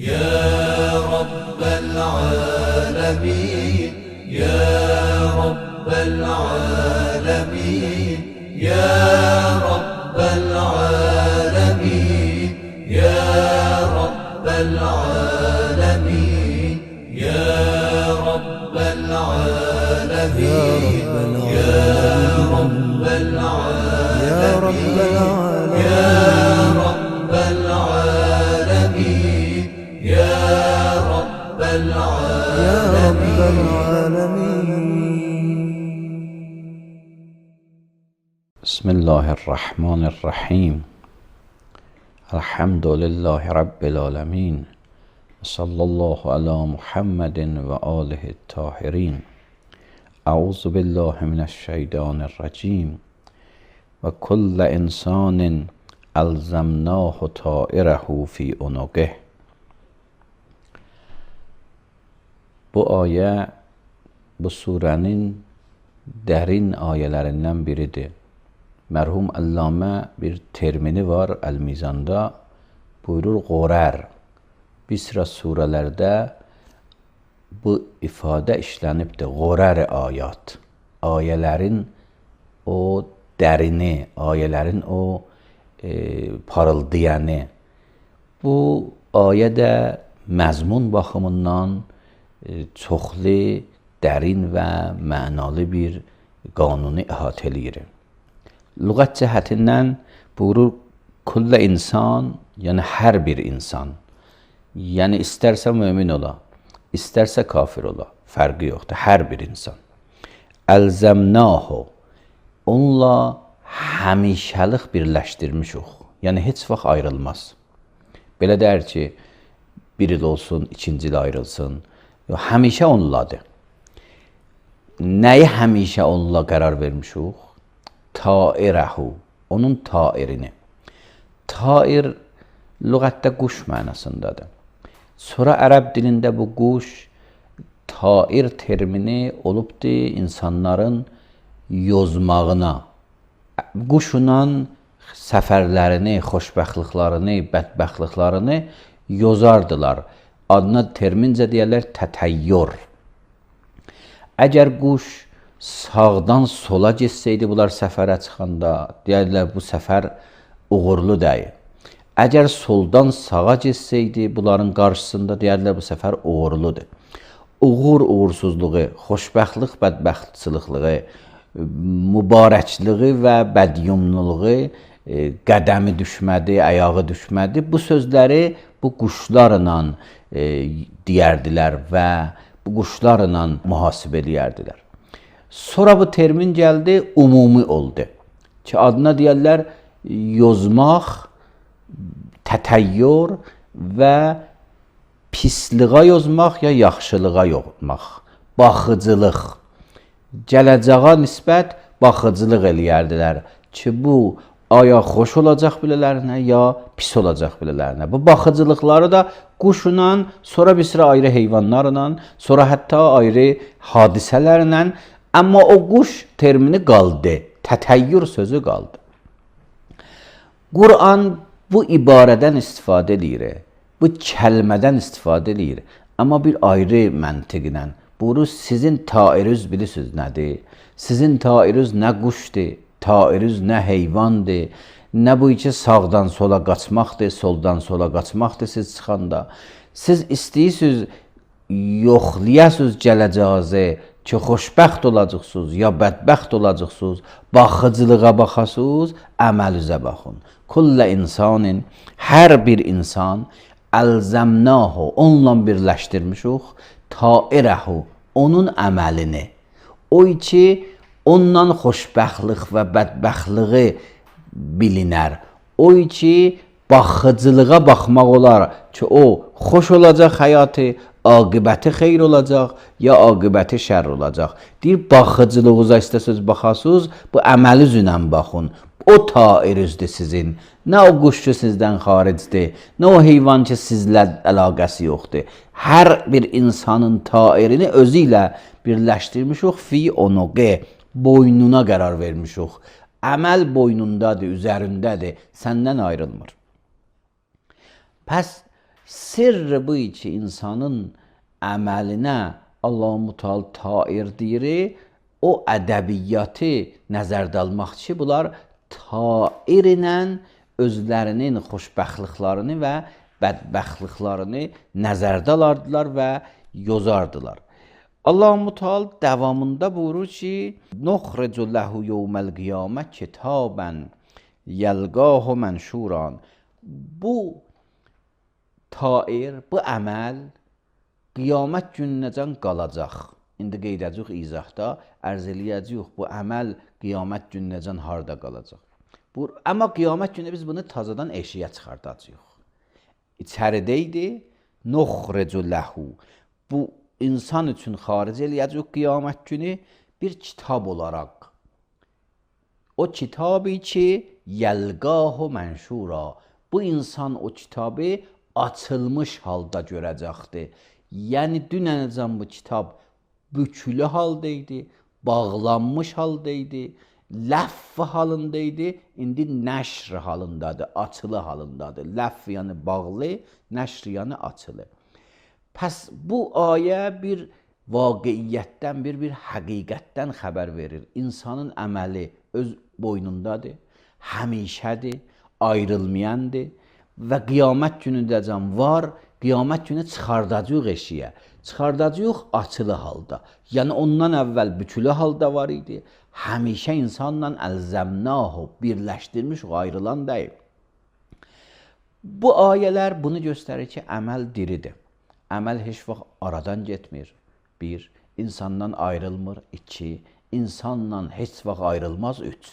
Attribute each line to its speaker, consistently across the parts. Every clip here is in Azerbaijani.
Speaker 1: يا رب العالمين يا رب العالمين يا رب العالمين يا رب العالمين يا رب العالمين يا رب العالمين يا رب العالمين يا رب العالمين.
Speaker 2: بسم الله الرحمن الرحيم. الحمد لله رب العالمين. صلى الله على محمد وآله الطاهرين. أعوذ بالله من الشيطان الرجيم. وكل إنسان ألزمناه طائره في عنقه. Bu ayə bu surənin dərin ayələrindən biridir. Mərhum Allamə bir termini var Əl-Mizanda, buyurur qorər. Bir sıra surələrdə bu ifadə işlənibdir, qorər ayat. Ayələrin o dərini, ayələrin o parıldayanı. Bu ayə də məzmun baxımından çoxlu, dərin və mənalı bir qanunu əhatə eləyir. Lüğət cəhətindən buyurur, kullə insan, yəni hər bir insan. Yəni istərsə mömin ola, istərsə kafir ola, fərqi yoxdur, hər bir insan. Əlzəmnahu, onunla həmişəlik birləşdirmişik, yəni heç vaxt ayrılmaz. Belə deyər ki, bir il olsun, ikinci il ayrılsın, həmişə onunladır. Nəyi həmişə onunla qərar vermişik? Tairəhu, onun tairini. Tair, lüğətdə quş mənasındadır. Sonra ərəb dilində bu quş, tair termini olubdur insanların yozmağına. Quşla səfərlərini, xoşbəxtliklərini, bədbəxtliklərini yozardılar. Adına termincə deyərlər tətəyyür. Əgər quş sağdan sola getsəydi bunlar səfərə çıxanda, deyərlər bu səfər uğurlu deyil. Əgər soldan sağa getsəydi bunların qarşısında, deyərlər bu səfər uğurludur. Uğur uğursuzluğu, xoşbəxtlik bədbəxtçılıqlığı, mübarəkliği və bədyumluluğu, qədəmi düşmədi, ayağı düşmədi. Bu sözləri bu quşlarla deyərdilər və bu quşlarla mühasibə eləyərdilər. Sonra bu termin gəldi, ümumi oldu. Ki adına deyərlər yozmaq, tətəyyür və pisliğə yozmaq ya yaxşılığa yozmaq. Baxıcılıq. Gələcəyə nisbət baxıcılıq eləyərdilər ki bu aya xoş olacaq bilələrinə ya pis olacaq bilələrinə. Bu baxıcılıqları da quşla, sonra bir sıra ayrı heyvanlarla, sonra hətta ayrı hadisələrlə, amma o quş termini qaldı, tətəyyür sözü qaldı. Quran bu ibarədən istifadə edir, bu kəlmədən istifadə edir, amma bir ayrı məntiqlə. Buyurur, sizin tairiniz bilirsiniz nədir? Sizin tairiniz nə quşdur? Tairiniz nə heyvandır, nə bu ki sağdan sola qaçmaqdır, soldan sola qaçmaqdır siz çıxanda. Siz istəyirsiniz, yoxlayasınız gələcəyinizi ki, xoşbəxt olacaqsınız ya bədbəxt olacaqsınız, baxıcılığa baxasınız, əməlizə baxın. Kullə insanın, hər bir insan, əlzəmnahu, onunla birləşdirmişik, tairəhu, onun əməlini. O ki, ondan xoşbəxtlik və bədbəxtliyi bilinər. O ki, baxıcılığa baxmaq olar ki, o xoş olacaq həyatı, aqibəti xeyr olacaq ya aqibəti şər olacaq. Deyir, baxıcılığınıza istəsiniz baxasınız, bu əməli üzrə baxın. O tairinizdir sizin. Nə o quş ki sizdən xaricdir, nə o heyvan ki sizlə əlaqəsi yoxdur. Hər bir insanın tairini özü ilə birləşdirmişik fi onuqe. Boynuna qərar vermişik. Əməl boynundadır, üzərindədir, səndən ayrılmır. Pəs Sirri bu ki insanın əməlinə Allah-u Teala tair deyir, o ədəbiyyatı nəzərdə almaq ki, bunlar tair ilə özlərinin xoşbəxtliklərini və bədbəxtliklərini nəzərdə alardılar və yozardılar. Allah-u Teala davamında buyurur ki: "Nuxricu lehu yevmel qiyamə kitaben yelqahu menşuran." Bu tair, bu əməl qiyamət gününəcən qalacaq. İndi qeyd edəcək izahda, ərz eləyəcək bu əməl qiyamət gününəcən harda qalacaq. Amma qiyamət günü biz bunu tazadan eşiyə çıxardacağıq. İçəridə idi, nuxricu lehu. Bu insan üçün xaric eləyəcək qiyamət günü bir kitab olaraq. O kitabı ki, yelqahu menşura. Bu insan o kitabı açılmış halda görəcəkdir. Yəni dünənəcən bu kitab bükülü haldaydı, bağlanmış haldaydı, ləff halındaydı, indi nəşr halındadır, açılı halındadır. Ləff yəni bağlı, nəşr yəni açılı. Pəs bu ayə bir vaqiiyyətdən, bir həqiqətdən xəbər verir. İnsanın əməli öz boynundadır, həmişədir, ayrılmayandır və qiyamət günündəcən var, qiyamət günü çıxardacaq eşiyə, çıxardacaq açılı halda. Yəni ondan əvvəl bükülü halda var idi, həmişə insanla əlzəmnahu, birləşdirmiş, ayrılan deyil. Bu ayələr bunu göstərir ki, əməl diridir. Əməl heç vaxt aradan getmir. 1. İnsandan ayrılmır. 2. İnsanla heç vaxt ayrılmaz. 3.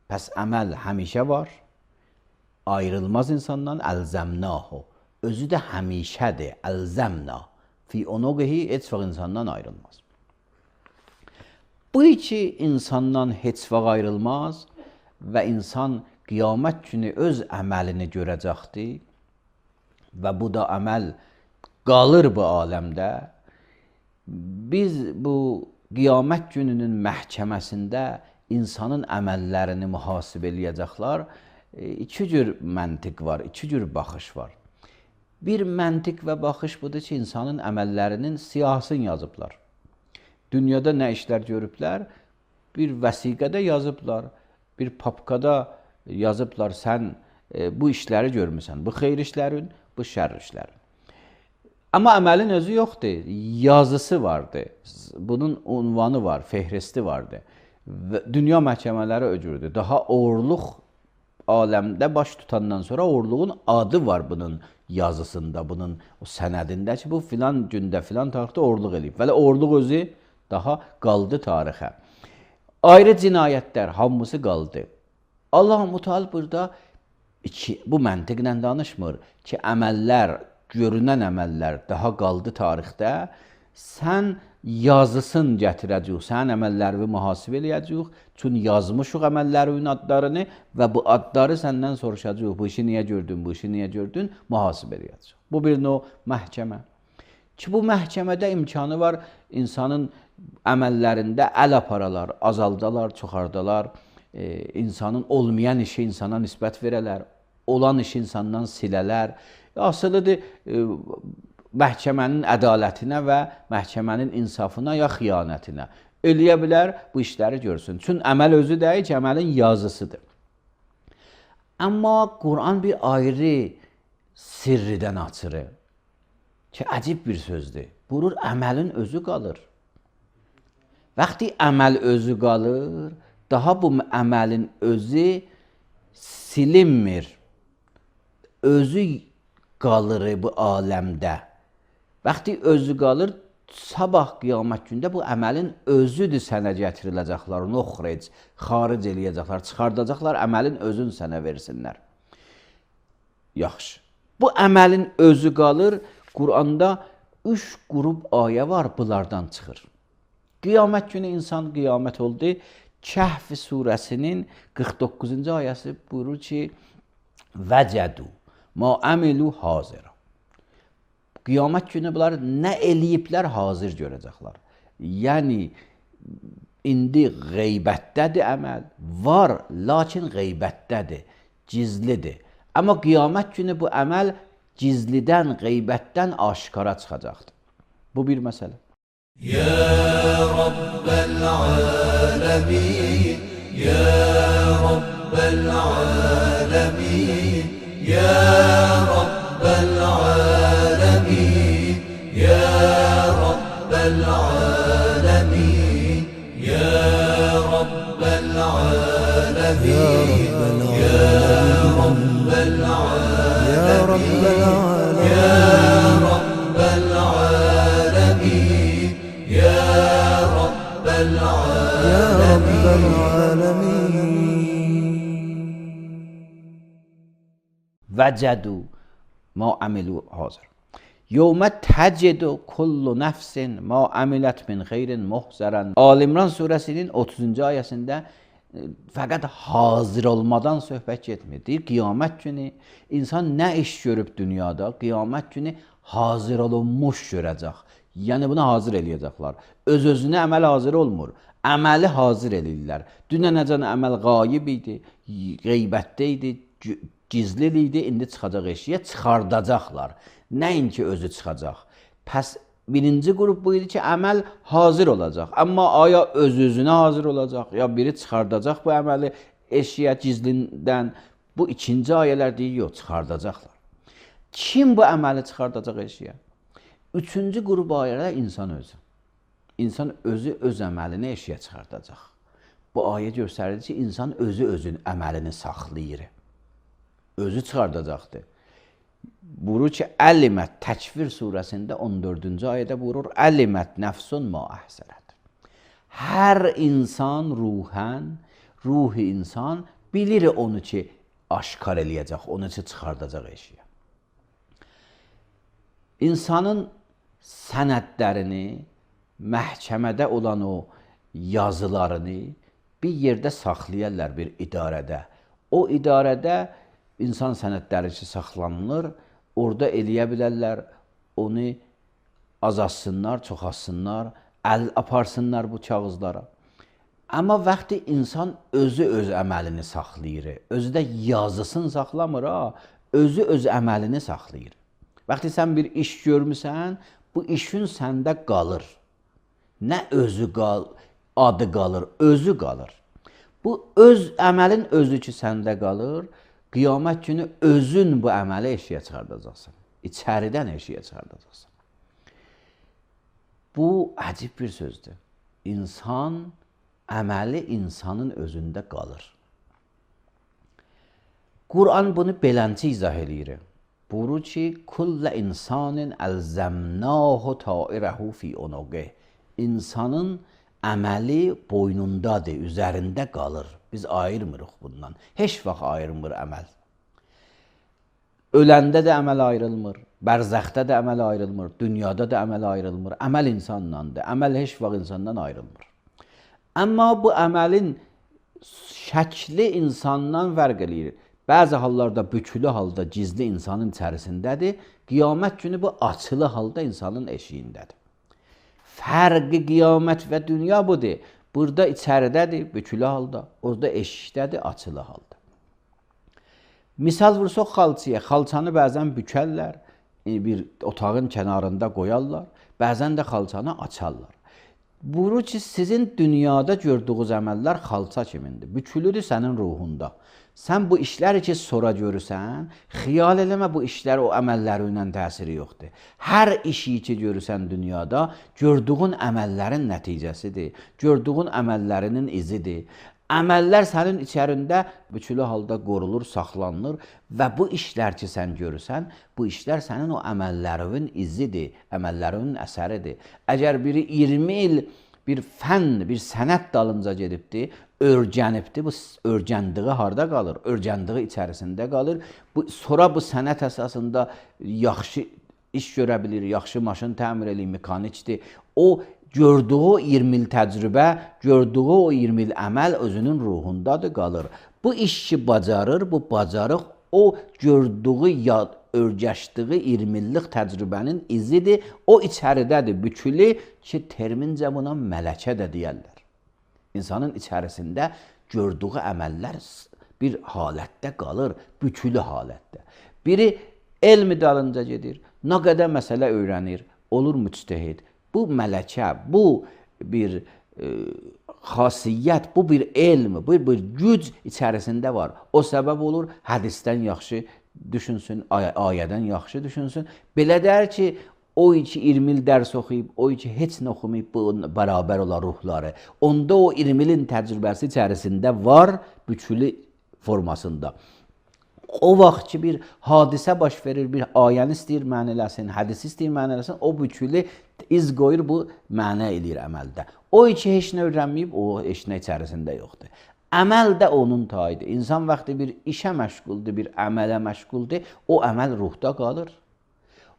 Speaker 2: Pəs əməl həmişə var. Ayrılmaz insandan əlzəmnahu. Özü də həmişədir. Əlzəmna. Fi onuqihi heç vaxt insandan ayrılmaz. Bu iki insandan heç vaxt ayrılmaz və insan qiyamət günü öz əməlini görəcəkdir və bu da əməl qalır bu aləmdə. Biz bu qiyamət gününün məhkəməsində insanın əməllərini mühasibə eləyəcəklər. İki cür məntiq var, iki cür baxış var. Bir məntiq və baxış budur ki, insanın əməllərinin siyahısını yazıblar. Dünyada nə işlər görüblər? Bir vəsiqədə yazıblar, bir papkada yazıblar, sən bu işləri görmüsən, bu xeyir işlərin, bu şər işlərin. Amma əməlin özü yoxdur, yazısı vardır, bunun unvanı var, fehristi vardır. Dünya məhkəmələri öcürdür. Daha oğurluq aləmdə baş tutandan sonra oğurluğun adı var bunun yazısında, bunun o sənədində ki, bu filan gündə, filan tarixdə oğurluq eləyib. Vələ oğurluq özü daha qaldı tarixə. Ayrı cinayətlər, hamısı qaldı. Allah-u Teala burada bu məntiqlə danışmır ki, əməllər, görünən əməllər daha qaldı tarixdə, sən yazısın gətirəcək, sən əməllərini mühasibə eləyəcək, çünki yazmışıq əməllərin adlarını və bu adları səndən soruşacaq, bu işi niyə gördün, bu işi niyə gördün, mühasibə eləyəcək. Bu bir növ məhkəmə. Ki, bu məhkəmədə imkanı var, insanın əməllərində əl aparalar, azaldalar, çoxardalar, insanın olmayan işi insana nisbət verələr, olan işi insandan silələr. Asılıdır, məhkəmənin ədalətinə və məhkəmənin insafına ya xiyanətinə eləyə bilər, bu işləri görsün. Çünki əməl özü deyil ki, əməlin yazısıdır. Amma Quran bir ayrı sirridən açırır ki, əcib bir sözdür. Buyurur, əməlin özü qalır. Vaxtı əməl özü qalır, daha bu əməlin özü silinmir. Özü qalır bu aləmdə. Vaxtı özü qalır, sabah qiyamət gündə bu əməlin özüdür sənə gətiriləcəklər, nuxric, xaric eləyəcəklər, çıxardacaqlar, əməlin özünü sənə versinlər. Yaxşı. Bu əməlin özü qalır, Quranda 3 qrup ayə var, bunlardan çıxır. Qiyamət günü insan qiyamət oldu. Kəhf surəsinin 49-cu ayəsi buyurur ki, vəcədu ma əmilu hazira. Qiyamət günü bunlar nə eləyiblər, hazır görəcəklər. Yəni, indi qeybətdədir əməl, var, lakin qeybətdədir, gizlidir. Amma qiyamət günü bu əməl Gizlidən, qeybətdən aşkara çıxacaqdır. Bu bir məsələ.
Speaker 1: يا رب العالمين يا رب العالمين يا رب العالمين يا رب العالمين يا رب العالمين يا رب العالمين يا رب العالمين يا رب العالمين يا رب العالمين
Speaker 2: وجدوا ما عملوا حاضر یوم تجد كل نفس ما عملت من خیر محضرا. Ali İmran surəsinin 30-cu ayəsində fəqət hazır olmadan söhbət getmir. Deyir, qiyamət günü insan nə iş görüb dünyada, qiyamət günü hazır olunmuş görəcək. Yəni bunu hazır eləyəcəklər. Öz-özünə əməl hazır olmur. Əməli hazır eləyirlər. Dünənəcən əməl qayib idi, qeybətdə idi, gizli idi, indi çıxacaq eşiyə, çıxardacaqlar. Nəinki özü çıxacaq. Pəs birinci qrup bu idi ki, əməl hazır olacaq. Amma aya öz-özünə hazır olacaq, ya biri çıxardacaq bu əməli eşiyə gizlindən. Bu ikinci ayələr deyir, yox, çıxardacaqlar. Kim bu əməli çıxardacaq eşiyə? Üçüncü qrup ayələr insan özü. İnsan özü öz əməlini eşiyə çıxardacaq. Bu ayə göstərir ki, insan özü özün əməlini saxlayır. Özü çıxardacaqdır. Buyurur ki, Əlimət Təkvir surəsində 14-cü ayədə buyurur, Əlimət nəfsun ma əhsərət. Hər insan ruhən, ruhi insan bilir onu ki, aşkar eləyəcək, onu ki, çıxardacaq eşiyə. İnsanın sənədlərini, məhkəmədə olan o yazılarını bir yerdə saxlayırlar bir idarədə. O idarədə insan sənədləri ki, saxlanılır, orada eləyə bilərlər, onu azalsınlar, çoxalsınlar, əl aparsınlar bu kağızlara. Amma vaxtı insan özü öz əməlini saxlayır, özü də yazısını saxlamır, özü öz əməlini saxlayır. Vaxtı sən bir iş görmüsən, bu işin səndə qalır. Nə özü adı qalır, özü qalır. Bu öz əməlin özü ki səndə qalır, qiyamət günü özün bu əməli eşiyə çıxardacaqsan. İçəridən eşiyə çıxardacaqsan. Bu əcib bir sözdür. İnsan, əməli insanın özündə qalır. Quran bunu beləncə izah eləyir. Buyurur ki, kullə insanın əlzəmnahu tairəhu fi unuqih. İnsanın əməli boynundadır, üzərində qalır. Biz ayırmırıq bundan. Heç vaxt ayırmır əməl. Öləndə də əməl ayrılmır, bərzəxdə də əməl ayrılmır, dünyada da əməl ayrılmır. Əməl insandandır. Əməl heç vaxt insandan ayrılmır. Amma bu əməlin şəkli insandan fərq eləyir. Bəzi hallarda bükülü halda gizli insanın içərisindədir. Qiyamət günü bu açılı halda insanın eşiyindədir. Fərqi qiyamət və dünya budur. Burada içəridədir, bükülü halda. Orada eşikdədir, açılı halda. Misal vursaq xalçaya. Xalçanı bəzən bükərlər, bir otağın kənarında qoyarlar. Bəzən də xalçanı açarlar. Buyurur ki, sizin dünyada gördüğünüz əməllər xalça kimindir. Bükülüdür sənin ruhunda. Sən bu işləri ki, sonra görürsən, xiyal eləmə bu işlər o əməlləri ilə təsiri yoxdur. Hər işi ki, görürsən dünyada, gördüğün əməllərin nəticəsidir, gördüğün əməllərinin izidir. Əməllər sənin içərində bükülü halda qorulur, saxlanılır və bu işlər ki, sən görürsən, bu işlər sənin o əməllərinin izidir, əməllərinin əsəridir. Əgər biri 20 il bir fənn, bir sənət dalınca gedibdir, örgənibdir, bu örgəndiyi harda qalır? Örgəndiyi içərisində qalır. Sonra bu sənət əsasında yaxşı iş görə bilir, yaxşı maşın təmir eləyir, mekanikdir. O gördüyü 20 il təcrübə, gördüyü o 20 il əməl özünün ruhundadır, qalır. Bu işi bacarır, bu bacarıq o gördüyü, örgəşdiyi 20 illik təcrübənin izidir. O içəridədir, bükülü ki, termincə buna mələkə də deyərlər. İnsanın içərisində gördüyü əməllər bir halətdə qalır, bükülü halətdə. Biri elmi dalınca gedir, nə qədər məsələ öyrənir, olur müctehid. Bu mələkə, bu bir xasiyyət, bu bir elm, bu bir güc içərisində var. O səbəb olur, hədisdən yaxşı düşünsün, ayədən yaxşı düşünsün. Belə der ki, o ki 20 il dərs oxuyub, o ki heç nə oxumayıb, bu bərabər olar ruhları. Onda o 20 ilin təcrübəsi içərisində var, bütülü formasında. O vaxt ki bir hadisə baş verir, bir ayəni istəyir mənələsin, hədisi istəyir mənələsin, o bütülü iz qoyur, bu mənə eləyir əməldə. O ki heç nə öyrənməyib, o heç nə içərisində yoxdur. Əməl də onun tayıdır. İnsan vaxtı bir işə məşğuldur, bir əmələ məşğuldur, o əməl ruhda qalır.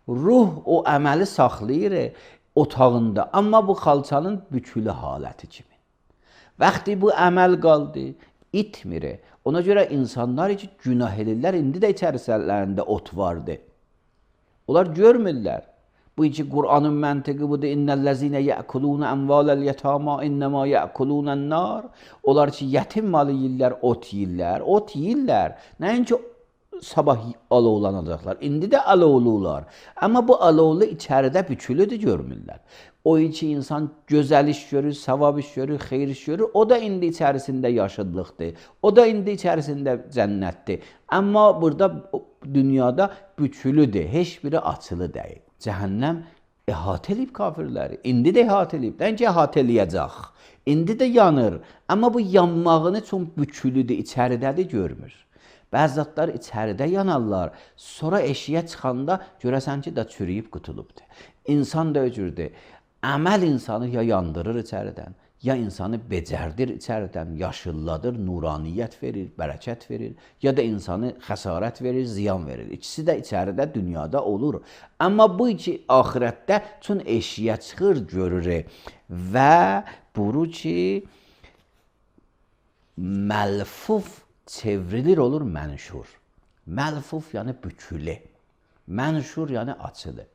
Speaker 2: Ruh o əməli saxlayır otağında, amma bu xalçanın bütülü haləti kimi. Vaxtı bu əməl qaldı, itmir. Ona görə insanlar ki günah edirlər, indi də içərislərində ot vardı. Onlar görmürlər. Bu ki Qur'anın məntiqi budur. İnnellezine ya'kulun amvalel yetama innema ya'kulun nar. Onlar ki yetim malı yeyirlər, ot yeyirlər, ot yeyirlər. Nəinki sabah alovlanacaqlar. İndi də alovlular. Amma bu alovlu içəridə bütülüdür, görmürlər. O ki insan gözəl iş görür, savab iş görür, xeyir iş görür, o da indi içərisində yaşıdlıqdır. O da indi içərisində cənnətdir. Amma burada dünyada bütülüdür, heç biri açılı deyil. Cəhənnəm əhatə eləyib kafirləri. İndi də əhatə eləyib. Nəinki əhatə eləyəcək. İndi də yanır. Amma bu yanmağını çox bütülüdür, içəridədir, görmür. Bəzi zatlar içəridə yanarlar. Sonra eşiyə çıxanda görəsən ki, da çürüyüb qutulubdur. İnsan da öcürdür. Əməl insanı ya yandırır içəridən, ya insanı becərdir içəridən, yaşılladır, nuraniyyət verir, bərəkət verir, ya da insanı xəsarət verir, ziyan verir. İkisi də içəridə, dünyada olur. Amma bu iki axirətdə çün eşiyə çıxır, görür və buru ki məlfuf çevrilir, olur mənşur. Məlfuf yəni bükülü, mənşur yəni açılı.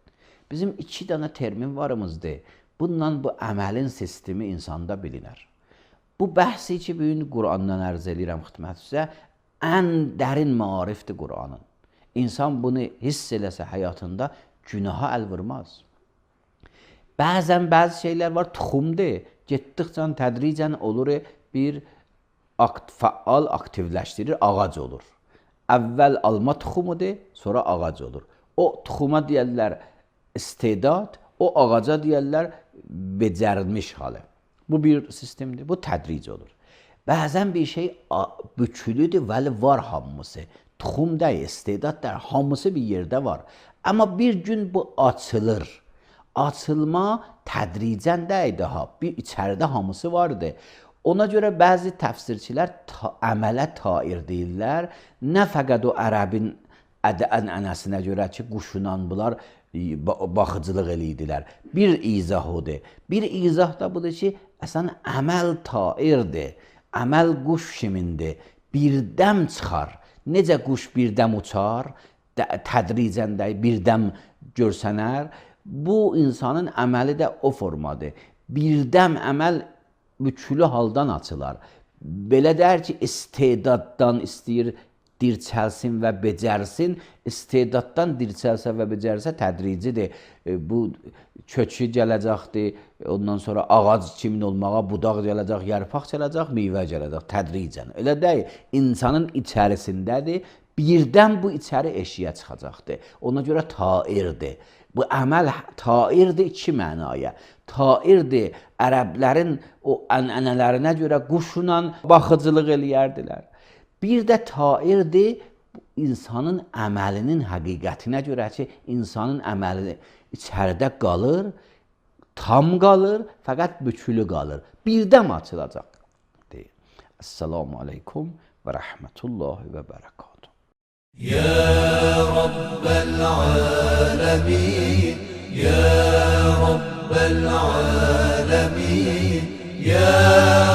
Speaker 2: Bizim iki dənə termin varımızdır. Bundan bu əməlin sistemi insanda bilinər. Bu bəhsi ki, bugün Qur'andan ərz edirəm xidmət sizə, ən dərin maarifdir Qur'anın. İnsan bunu hiss eləsə həyatında günaha əl vurmaz. Bəzən bəzi şeylər var, tuxumdur. Getdikcə, tədricən olur, bir fəal aktivləşdirir, ağac olur. Əvvəl alma tuxumudur, sonra ağac olur. O tuxuma deyərlər istedad, o ağaca deyərlər becərmiş halı. Bu bir sistemdir, bu tədric olur. Bəzən bir şey bükülüdür, vəli var hamısı. Tuxum deyil, istedad deyil, hamısı bir yerdə var. Amma bir gün bu açılır. Açılma tədricən deyil daha, bir içəridə hamısı vardır. Ona görə bəzi təfsirçilər əmələ tair deyirlər. Nə fəqət o ərəbin ənənəsinə görə ki, quşunan bunlar baxıcılıq eləyirdilər. Bir izah odur. Bir izah da budur ki, əsən əməl tairdir. Əməl quş kimindir. Birdəm çıxar. Necə quş birdəm uçar, tədricən də birdəm görsənər. Bu insanın əməli də o formadır. Birdəm əməl bütülü haldan açılar. Belə der ki, istedaddan istəyir, dirçəlsin və becərsin, istedaddan dirçəlsə və becərsə tədricidir. Bu kökü gələcəkdir, ondan sonra ağac kimin olmağa, budaq gələcək, yarpaq gələcək, meyvə gələcək, tədricən. Elə deyil, insanın içərisindədir, birdən bu içəri eşiyə çıxacaqdır. Ona görə tairdir. Bu əməl tairdir iki mənaya. Tairdir, ərəblərin o ənənələrinə görə quşla baxıcılıq eləyərdilər. Bir də tairdir, insanın əməlinin həqiqətinə görə ki, insanın əməli içəridə qalır, tam qalır, fəqət bütülü qalır. Birdən açılacaq. Esselamu aleykum və rəhmətullahi və bərəkatuhu.
Speaker 1: Ya Rabbel alemin, Ya Rabbel alemin, Ya